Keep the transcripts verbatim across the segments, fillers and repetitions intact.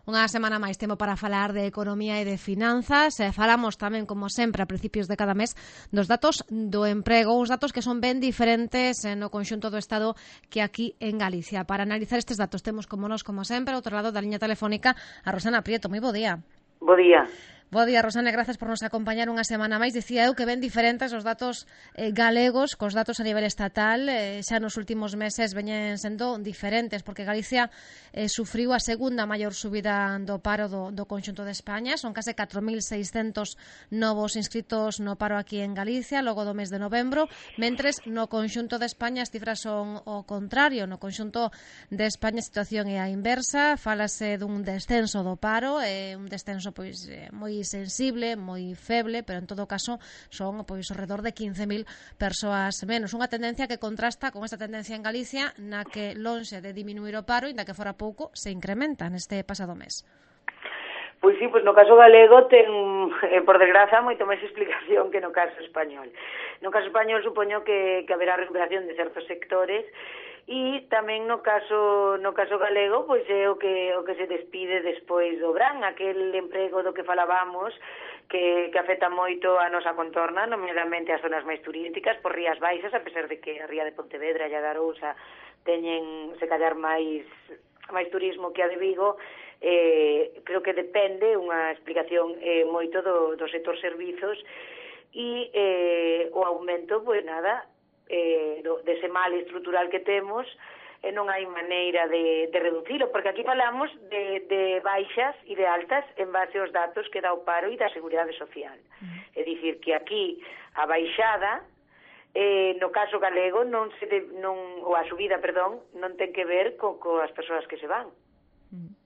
Unha semana máis tempo para falar de economía e de finanzas. E falamos tamén, como sempre, a principios de cada mes dos datos do emprego, uns datos que son ben diferentes no conxunto do Estado que aquí en Galicia. Para analizar estes datos temos, como nos, como sempre, ao outro lado da liña telefónica, a Rosana Prieto. Moi bo día. Bo día. Bo día, Rosana, grazas por nos acompañar unha semana máis. Dicía eu que ben diferentes os datos eh, galegos cos datos a nivel estatal. Eh, xa nos últimos meses veñen sendo diferentes, porque Galicia eh, sufriu a segunda maior subida do paro do, do conxunto de España. Son case catro mil seiscentos novos inscritos no paro aquí en Galicia logo do mes de novembro, mentres no conxunto de España as cifras son o contrario. No conxunto de España a situación é a inversa. Fálase dun descenso do paro, eh, un descenso pois eh, moi sensible, moi feble, pero en todo caso son pois ao redor de quince mil persoas menos. Unha tendencia que contrasta con esta tendencia en Galicia, na que lonxe de diminuir o paro, inda que fora pouco, se incrementa neste pasado mes. Pois sí, pois no caso galego ten, eh, por desgraza, moito máis explicación que no caso español. No caso español supoño que, que haberá recuperación de certos sectores, e tamén no caso no caso galego, pois é o que o que se despide despois do verán, aquel emprego do que falábamos que, que afecta moito a nosa contorna, nomeadamente as zonas máis turísticas, por Rías Baixas, a pesar de que a Ría de Pontevedra e a da Arousa teñen, se callar, máis máis turismo que a de Vigo. Eh, creo que depende unha explicación eh, moito do, do sector servizos e eh, o aumento, pois nada, eh, do, dese mal estrutural que temos, e non hai maneira de, de reducilo, porque aquí falamos de, de baixas e de altas en base aos datos que dá o paro e da Seguridade Social. Mm. É dicir, que aquí a baixada, eh, no caso galego, non se de, non, ou a subida, perdón, non ten que ver co, coas persoas que se van. Mm.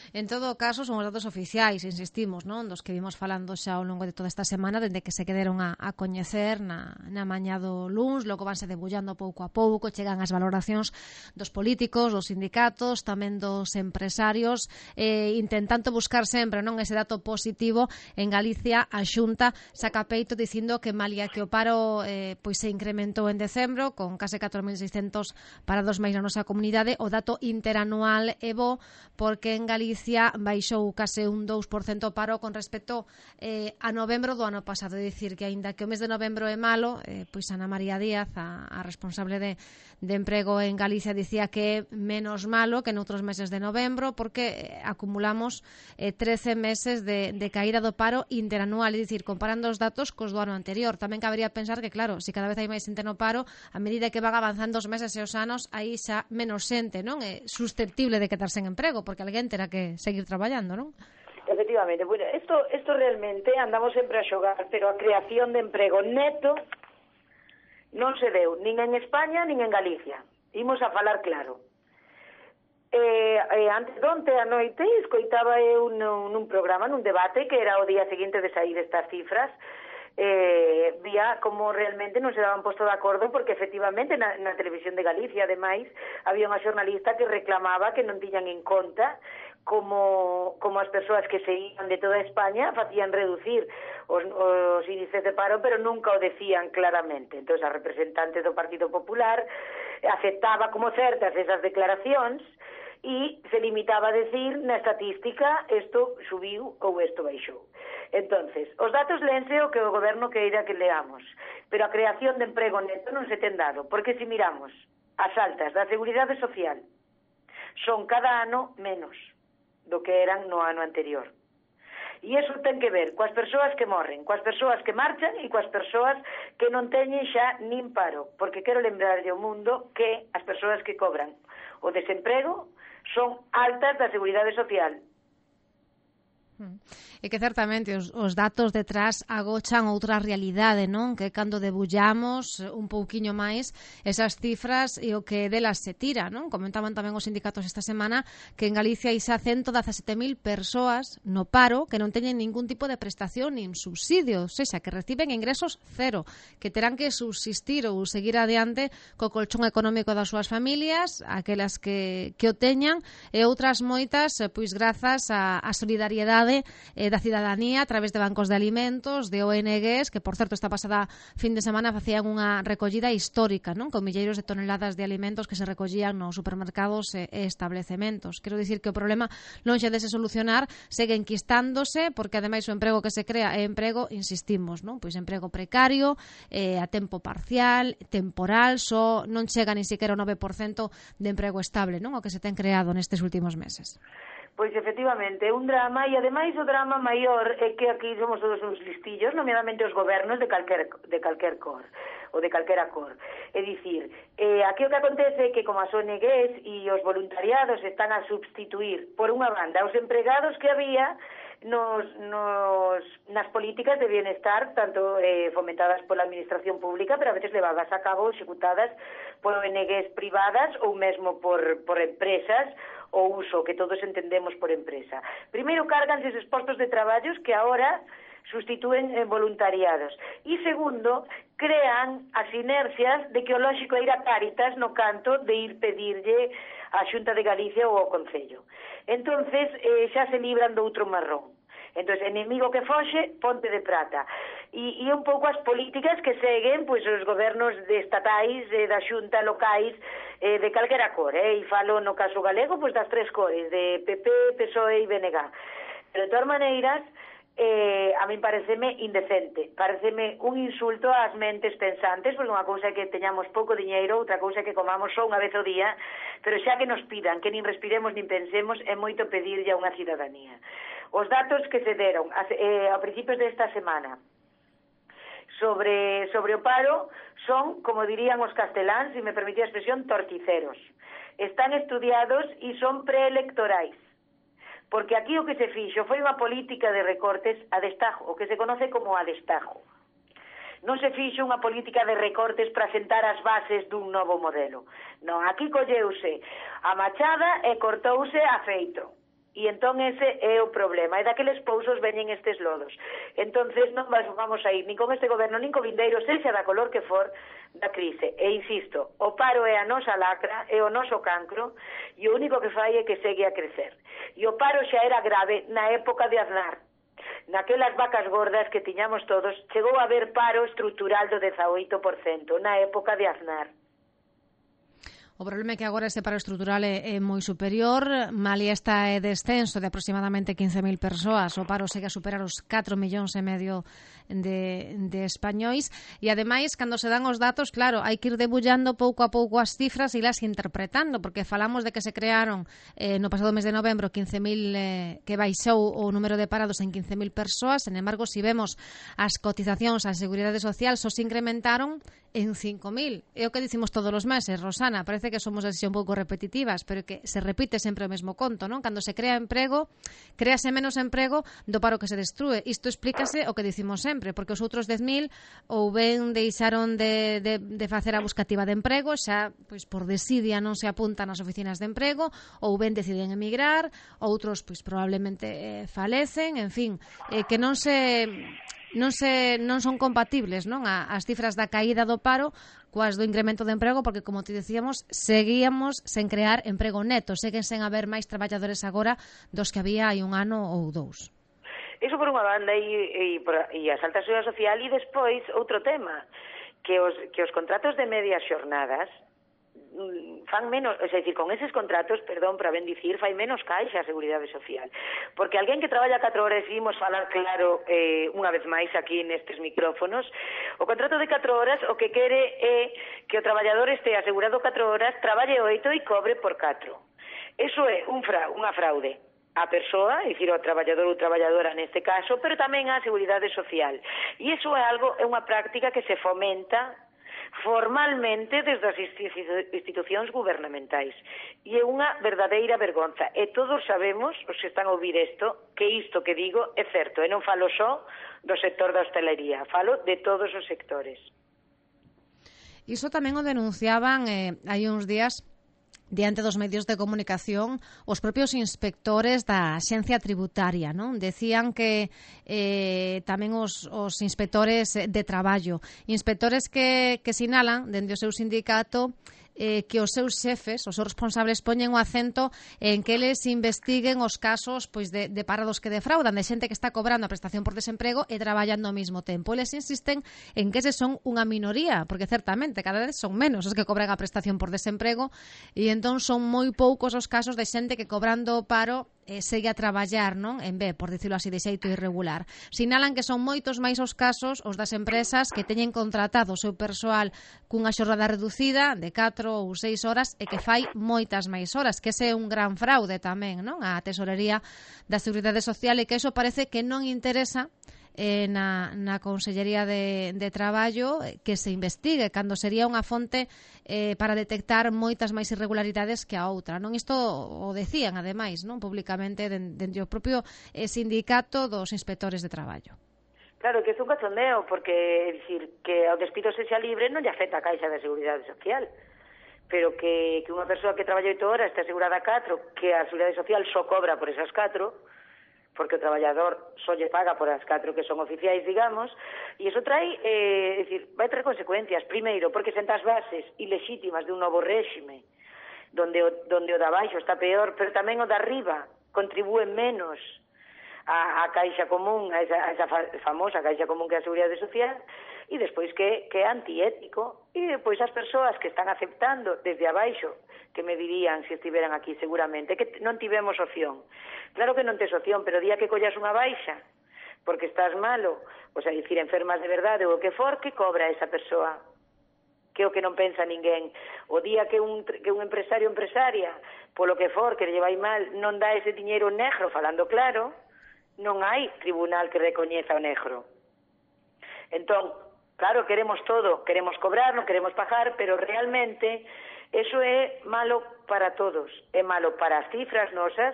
En todo caso, son os datos oficiais, insistimos, non? Dos que vimos falando xa ao longo de toda esta semana, dende que se quederon a, a coñecer na, na mañá do luns, logo vanse debullando pouco a pouco, chegan as valoracións dos políticos, dos sindicatos, tamén dos empresarios, eh, intentando buscar sempre, non, ese dato positivo. En Galicia, a Xunta saca peito dicindo que malia que o paro eh, pois se incrementou en decembro, con case catro mil seiscentos parados máis na nosa comunidade, o dato interanual é bo, porque en Galicia baixou case un dous por cento o paro con respecto eh, a novembro do ano pasado. É dicir, que aínda que o mes de novembro é malo, eh, pois Ana María Díaz, a, a responsable de, de emprego en Galicia, dicía que é menos malo que noutros meses de novembro, porque eh, acumulamos eh, trece meses de, de caída do paro interanual. É dicir, comparando os datos cos do ano anterior. Tamén cabería pensar que, claro, se cada vez hai máis xente no paro, a medida que van avanzando os meses e os anos, aí xa menos xente, non? É susceptible de quedarse en emprego, porque alguén terá que seguir traballando, non? Efectivamente, bueno, esto, esto realmente andamos sempre a xogar, pero a creación de emprego neto non se deu nin en España nin en Galicia. Imos a falar claro. Eh, eh, antes donte a noite escoitaba eu nun, nun programa, nun debate que era o día seguinte de sair estas cifras, eh, vía como realmente non se daban posto de acordo, porque efectivamente na, na televisión de Galicia, ademais, había unha xornalista que reclamaba que non tiñan en conta como, como as persoas que se iban de toda España facían reducir os, os índices de paro, pero nunca o decían claramente. Entón, a representante do Partido Popular aceptaba como certas esas declaracións e se limitaba a decir na estatística isto subiu ou isto baixou. Entonces, os datos lense o que o goberno queira que leamos, pero a creación de emprego neto non se ten dado, porque se miramos as altas da Seguridade Social, son cada ano menos do que eran no ano anterior. E iso ten que ver coas persoas que morren, coas persoas que marchan e coas persoas que non teñen xa nin paro, porque quero lembrarlle ao mundo que as persoas que cobran o desemprego son altas da Seguridade Social. E que certamente os, os datos detrás agochan outra realidade, non? Que cando debullamos un pouquiño máis esas cifras e o que delas se tira, non? Comentaban tamén os sindicatos esta semana que en Galicia hai xa ciento dezasete mil persoas no paro que non teñen ningún tipo de prestación nin subsidio, ou seja, que reciben ingresos cero, que terán que subsistir ou seguir adiante co colchón económico das súas familias, aquelas que, que o teñan, e outras moitas, pois grazas á solidariedade solidariedade eh, da cidadanía a través de bancos de alimentos, de O N Ges, que, por certo, esta pasada fin de semana facían unha recollida histórica, non? Con milleiros de toneladas de alimentos que se recollían nos supermercados e establecementos. Quero dicir que o problema, lonxe de se solucionar, segue enquistándose, porque ademais o emprego que se crea é emprego, insistimos, non? Pois emprego precario, eh, a tempo parcial, temporal, só non chega ni siquiera o nove por cento de emprego estable, non? O que se ten creado nestes últimos meses. Pois efectivamente, é un drama, e ademais o drama maior é que aquí somos todos uns listillos, nomeadamente os gobernos de calquer, de calquer cor, ou de calquera cor. É dicir, eh, aquí o que acontece é que como as O N Ges e os voluntariados están a substituir, por unha banda, os empregados que había nos, nos, nas políticas de bienestar, tanto eh, fomentadas pola administración pública, pero a veces levadas a cabo, executadas por O N Ges privadas ou mesmo por, por empresas, o uso que todos entendemos por empresa. Primeiro, carganse esos postos de traballos que ahora sustitúen en voluntariados. E segundo, crean as inercias de que o lóxico é ir a Cáritas no canto de ir pedirlle a Xunta de Galicia ou ao Concello. Entonces, eh, xa se libran do outro marrón. Entón, enemigo que foxe, ponte de prata. E, e un pouco as políticas que seguen pois, os gobernos de estatais, eh, da xunta, locais, eh, de calquera cor, eh? E falo no caso galego pois, das tres cores, de P P, P S O E e B N G. Pero de todas maneiras, eh, a min pareceme indecente, pareceme un insulto ás mentes pensantes, porque unha cousa é que teñamos pouco diñeiro, outra cousa é que comamos só unha vez ao día, pero xa que nos pidan que nin respiremos nin pensemos, é moito pedirlle a unha cidadanía. Os datos que se deron eh, a principios desta semana sobre, sobre o paro son, como dirían os casteláns, se me permitía a expresión, torticeros. Están estudiados e son preelectorais. Porque aquí o que se fixo foi unha política de recortes a destajo, o que se conoce como a destajo. Non se fixo unha política de recortes para sentar as bases dun novo modelo. Non, aquí colleuse a machada e cortouse a feito. E entón ese é o problema, e daqueles pousos veñen estes lodos. Entonces non vamos a ir nin con este goberno, nin co vindeiro, sexa da color que for, da crise. E insisto, o paro é a nosa lacra, é o noso cancro, e o único que fai é que segue a crecer. E o paro xa era grave na época de Aznar. Naquelas vacas gordas que tiñamos todos, chegou a haber paro estrutural do dezaoito por cento na época de Aznar. O problema é que agora este paro estrutural é, é moi superior, malia está é descenso de aproximadamente quince mil persoas, o paro segue a superar os catro millóns e medio de, de españois, e ademais, cando se dan os datos, claro, hai que ir debullando pouco a pouco as cifras e las interpretando, porque falamos de que se crearon eh, no pasado mes de novembro quince mil, eh, que baixou o número de parados en quince mil persoas, sen embargo, se si vemos as cotizacións á Seguridade Social, só se incrementaron en cinco mil. É o que dicimos todos os meses, Rosana, parece que somos así un pouco repetitivas, pero que se repite sempre o mesmo conto, non? Cando se crea emprego, créase menos emprego do paro que se destrúe. Isto explícase o que dicimos sempre, porque os outros dez mil ou ben deixaron de, de, de facer a buscativa de emprego, xa pois por desidia non se apuntan ás oficinas de emprego, ou ben deciden emigrar, outros pois probablemente eh, falecen, en fin, eh, que non se non se non son compatibles, non, as cifras da caída do paro coas do incremento de emprego, porque como te decíamos, seguíamos sen crear emprego neto, seguen sen haber máis traballadores agora dos que había hai un ano ou dous. Iso por unha banda e, e, e a alta seguridade social, e despois outro tema, que os, que os contratos de medias xornadas fan menos, é dicir, con eses contratos, perdón, para ben dicir, fai menos caixa a Seguridade Social. Porque alguén que traballa catro horas, e imos falar claro eh, unha vez máis aquí nestes micrófonos, o contrato de catro horas o que quere é que o traballador este asegurado catro horas, traballe oito e cobre por catro. Eso é un fra, unha fraude a persoa, é dicir, o traballador ou traballadora neste caso, pero tamén a Seguridade Social. E iso é algo, é unha práctica que se fomenta formalmente desde as institucións gubernamentais. E é unha verdadeira vergonza. E todos sabemos, os que están a ouvir isto, que isto que digo é certo. E non falo só do sector da hostelería, falo de todos os sectores. Iso tamén o denunciaban eh, hai uns días diante dos medios de comunicación os propios inspectores da Axencia Tributaria, non? Decían que eh, tamén os, os inspectores de traballo, inspectores que, que sinalan dende o seu sindicato eh, que os seus xefes, os seus responsables, poñen o acento en que eles investiguen os casos pois de, de parados que defraudan, de xente que está cobrando a prestación por desemprego e traballando ao mesmo tempo. Eles insisten en que ese son unha minoría, porque certamente cada vez son menos os que cobran a prestación por desemprego e entón son moi poucos os casos de xente que cobrando o paro eh, segue a traballar, non? En B, por dicirlo así, de xeito irregular. Sinalan que son moitos máis os casos os das empresas que teñen contratado o seu persoal cunha xornada reducida de catro ou seis horas e que fai moitas máis horas, que ese é un gran fraude tamén, non? A Tesorería da Seguridade Social e que eso parece que non interesa eh, na, na Consellería de, de Traballo que se investigue, cando sería unha fonte eh, para detectar moitas máis irregularidades que a outra, non? Isto o decían, ademais, non? Públicamente dentro do propio eh, sindicato dos inspectores de traballo. Claro, que é un cachondeo, porque, é dicir, que ao despido sexa libre non lle afecta a Caixa de Seguridade Social, pero que, que unha persoa que traballa oito horas está asegurada a catro, que a Seguridade Social só cobra por esas catro, porque o traballador só lle paga por as catro que son oficiais, digamos, e iso trae, eh, é dicir, vai traer consecuencias. Primeiro, porque senta as bases ilexítimas de un novo réxime, donde o, donde o da baixo está peor, pero tamén o da arriba contribúe menos a, a Caixa Común, a esa, a esa famosa Caixa Común que é a Seguridade Social, e despois que, que é antiético, e depois as persoas que están aceptando desde abaixo, que me dirían se estiveran aquí seguramente, que non tivemos opción. Claro que non tes opción, pero o día que collas unha baixa, porque estás malo, o sea, dicir, enfermas de verdade ou o que for, que cobra esa persoa? Que é o que non pensa ninguén. O día que un, que un empresario ou empresaria, polo que for, que lle vai mal, non dá ese diñeiro negro, falando claro, non hai tribunal que recoñeza o negro. Entón, claro, queremos todo, queremos cobrar, non queremos pagar, pero realmente eso é malo para todos. É malo para as cifras nosas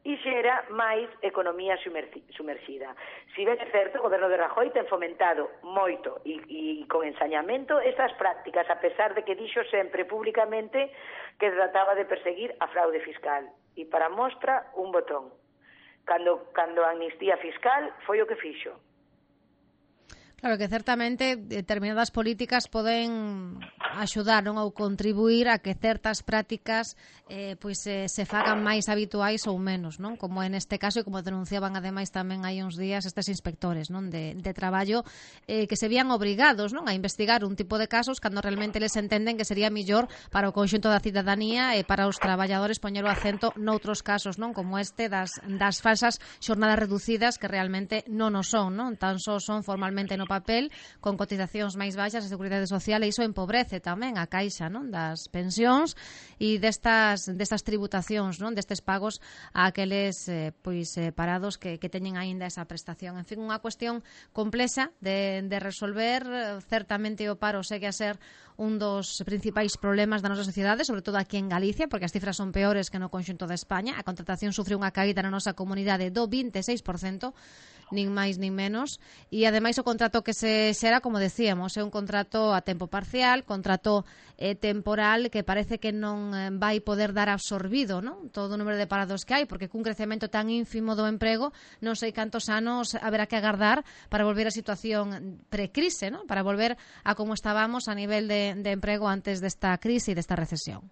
e xera máis economía sumerxida. Si ben é certo, o goberno de Rajoy ten fomentado moito e, e con ensañamento estas prácticas, a pesar de que dixo sempre públicamente que trataba de perseguir a fraude fiscal. E para mostra, un botón. Cando, cando a amnistía fiscal foi o que fixo. Claro que certamente determinadas políticas poden axudar, non, ou contribuir a que certas prácticas eh, pois eh, se fagan máis habituais ou menos, non? Como en este caso e como denunciaban ademais tamén hai uns días estes inspectores, non, de, de traballo eh, que se vían obrigados, non, a investigar un tipo de casos cando realmente les entenden que sería millor para o conxunto da cidadanía e para os traballadores poñer o acento noutros casos, non, como este das, das falsas xornadas reducidas que realmente non o son, non? Tan só son formalmente no papel, con cotizacións máis baixas de Seguridade Social, e iso empobrece tamén a caixa, non, das pensións e destas, destas tributacións, non, destes pagos a aqueles eh, pois, eh, parados que, que teñen aínda esa prestación. En fin, unha cuestión complexa de, de resolver. Certamente o paro segue a ser un dos principais problemas da nosa sociedade, sobre todo aquí en Galicia, porque as cifras son peores que no conxunto de España. A contratación sufre unha caída na nosa comunidade do vinte e seis por cento, nin máis nin menos, e ademais o contrato que se xera, como decíamos, é un contrato a tempo parcial, contrato eh, temporal que parece que non eh, vai poder dar absorbido, non, todo o número de parados que hai, porque cun crecemento tan ínfimo do emprego non sei cantos anos haberá que agardar para volver á situación precrise, non, para volver a como estábamos a nivel de, de emprego antes desta crise e desta recesión.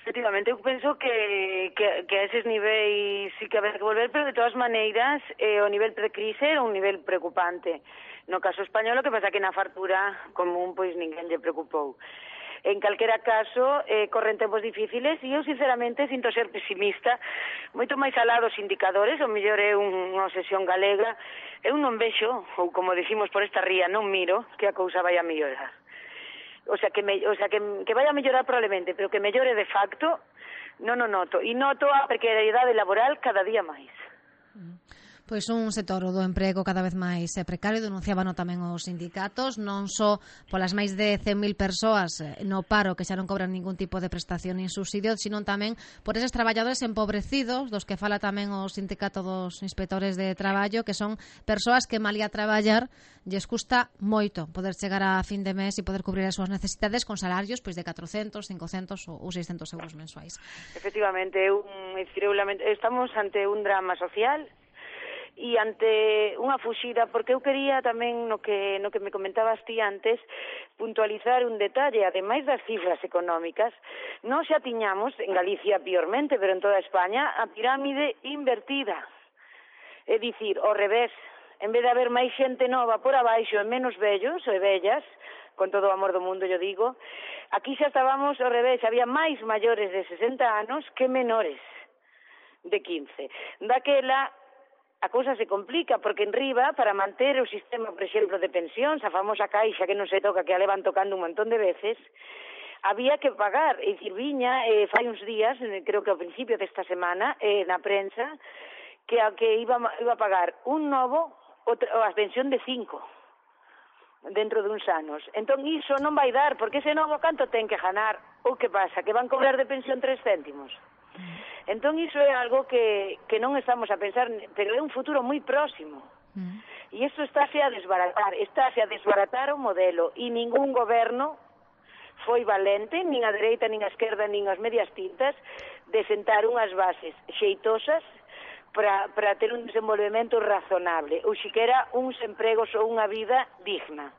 Efectivamente, eu penso que, que, que a eses niveis sí que haber que volver, pero de todas maneiras eh, o nivel precrise era un nivel preocupante. No caso español, o que pasa que na fartura común pois ninguén lle preocupou. En calquera caso, eh, corren tempos difíciles e eu sinceramente sinto ser pesimista, moito máis alá dos indicadores, o mellor é unha obsesión galega, eu non vexo, ou como decimos por esta ría, non miro que a cousa vai a mellorar. O sea, que, me, o sea que, que vaya a mellorar probablemente, pero que mellore de facto, non o noto. E noto a precariedade laboral cada día máis. Pois un sector do emprego cada vez máis precario, denunciábano tamén os sindicatos, non só polas máis de cen mil persoas no paro que xa non cobran ningún tipo de prestación nin subsidio, sino tamén por eses traballadores empobrecidos, dos que fala tamén o sindicato dos inspectores de traballo, que son persoas que malía traballar lles custa moito poder chegar a fin de mes e poder cubrir as súas necesidades con salarios pois de catrocentos, cincocentos ou seiscentos euros mensuais. Efectivamente, eu, eu lamento, estamos ante un drama social e ante unha fuxida, porque eu quería tamén, no que no que me comentabas ti antes, puntualizar un detalle, ademais das cifras económicas, non xa tiñamos, en Galicia piormente, pero en toda España, a pirámide invertida. É dicir, ao revés, en vez de haber máis xente nova por abaixo e menos vellos e vellas, con todo o amor do mundo, yo digo, aquí xa estábamos ao revés, había máis maiores de sesenta anos que menores de quince. Daquela, a cousa se complica, porque en riba, para manter o sistema, por exemplo, de pensións, a famosa caixa que non se toca, que a levan tocando un montón de veces, había que pagar. E dicir, viña, eh, fai uns días, creo que ao principio desta semana, eh, na prensa, que a que iba, iba a pagar un novo outra, a pensión de cinco dentro de uns anos. Entón, iso non vai dar, porque ese novo canto ten que ganar. Ou que pasa? Que van cobrar de pensión tres céntimos? Entón, iso é algo que, que non estamos a pensar, pero é un futuro moi próximo. Mm. E isto estáse a desbaratar, estáse a desbaratar o modelo, e ningún goberno foi valente, nin a dereita, nin a esquerda, nin as medias tintas, de sentar unhas bases xeitosas para, para ter un desenvolvemento razonable, ou siquera uns empregos ou unha vida digna.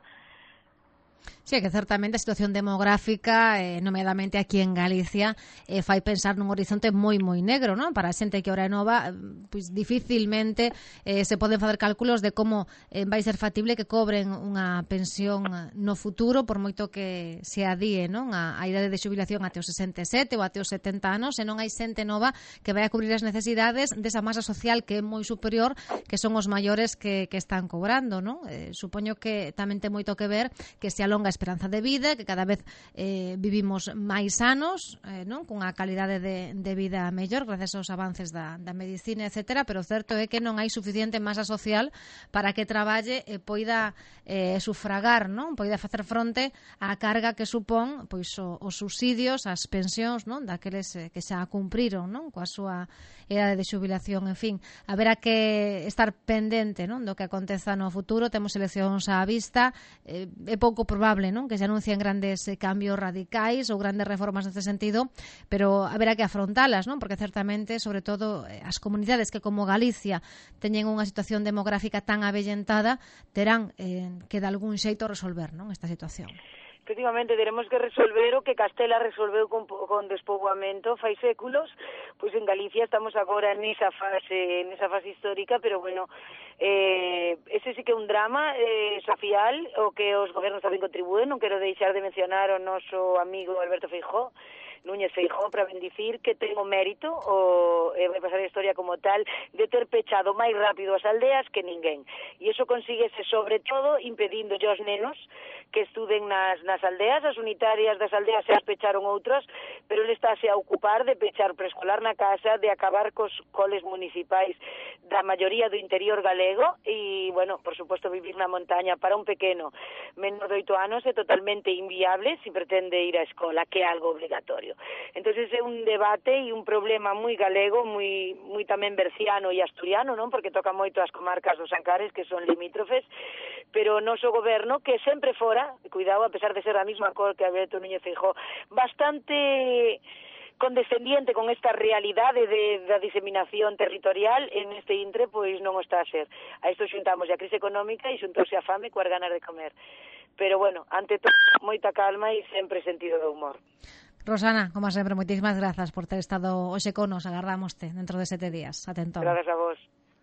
Sí, que certamente a situación demográfica, eh, nomeadamente aquí en Galicia, eh, fai pensar nun horizonte moi, moi negro, non? Para a xente que ora é nova, pois dificilmente eh, se poden facer cálculos de como eh, vai ser factible que cobren unha pensión no futuro, por moito que se adíe, non? A, a idade de xubilación até os sesenta e sete ou até os setenta anos, e non hai xente nova que vai a cubrir as necesidades desa masa social que é moi superior, que son os maiores que, que están cobrando, non? Eh, supoño que tamén ten moito que ver que se alonga a esperanza de vida, que cada vez eh, vivimos máis anos, eh, non? Cunha calidade de, de vida mellor gracias aos avances da, da medicina, etcétera, pero o certo é que non hai suficiente masa social para que traballe e poida eh, sufragar, non? Poida facer fronte á carga que supón pois o, os subsidios, as pensións, non? Daqueles eh, que xa cumpriron, non? Coa súa edade de xubilación, en fin, haberá que estar pendente, non? Do que aconteza no futuro. Temos eleccións á vista, eh, é pouco probable, non? Que se anuncien grandes eh, cambios radicais ou grandes reformas neste sentido, pero haberá que afrontalas, non? Porque certamente, sobre todo, eh, as comunidades que como Galicia teñen unha situación demográfica tan avellentada, terán eh, que de algún xeito resolver, non? Esta situación. Efectivamente, teremos que resolver o que Castela resolveu con, con despoboamento fai séculos. Pois en Galicia estamos agora nesa fase, nesa fase histórica, pero bueno, eh, ese sí que é un drama eh, social, o que os gobernos tamén contribúen. Non quero deixar de mencionar o noso amigo Alberto Feijóo, Núñez Feijóo, para bendicir que ten o mérito, o eh, vai pasar a historia como tal, de ter pechado máis rápido as aldeas que ninguén. E iso consíguese sobre todo impedindo aos nenos que estuden nas, nas aldeas. As unitarias das aldeas se as pecharon outras, pero ele estáse a ocupar de pechar preescolar na casa, de acabar cos coles municipais da maioría do interior galego e, bueno, por suposto, vivir na montaña para un pequeno menor de oito anos é totalmente inviable se pretende ir á escola, que é algo obligatorio. Entonces é un debate e un problema moi galego, moi moi tamén berciano e asturiano, non? Porque toca moito as comarcas dos Ancares, que son limítrofes, pero o noso goberno, que sempre fora, cuidado, a pesar de ser a mesma cor que Alberto Núñez Feijóo, bastante condescendiente con esta realidade de, da diseminación territorial, en este intre, pois non o está a ser. A isto xuntamos a crise económica e xuntouse a fame coas ganas de comer. Pero, bueno, ante todo, moita calma e sempre sentido de humor. Rosana, como sempre, moitísimas grazas por ter estado hoxe con nos. Agardámoste dentro de sete días. Atentón. Grazas a vos.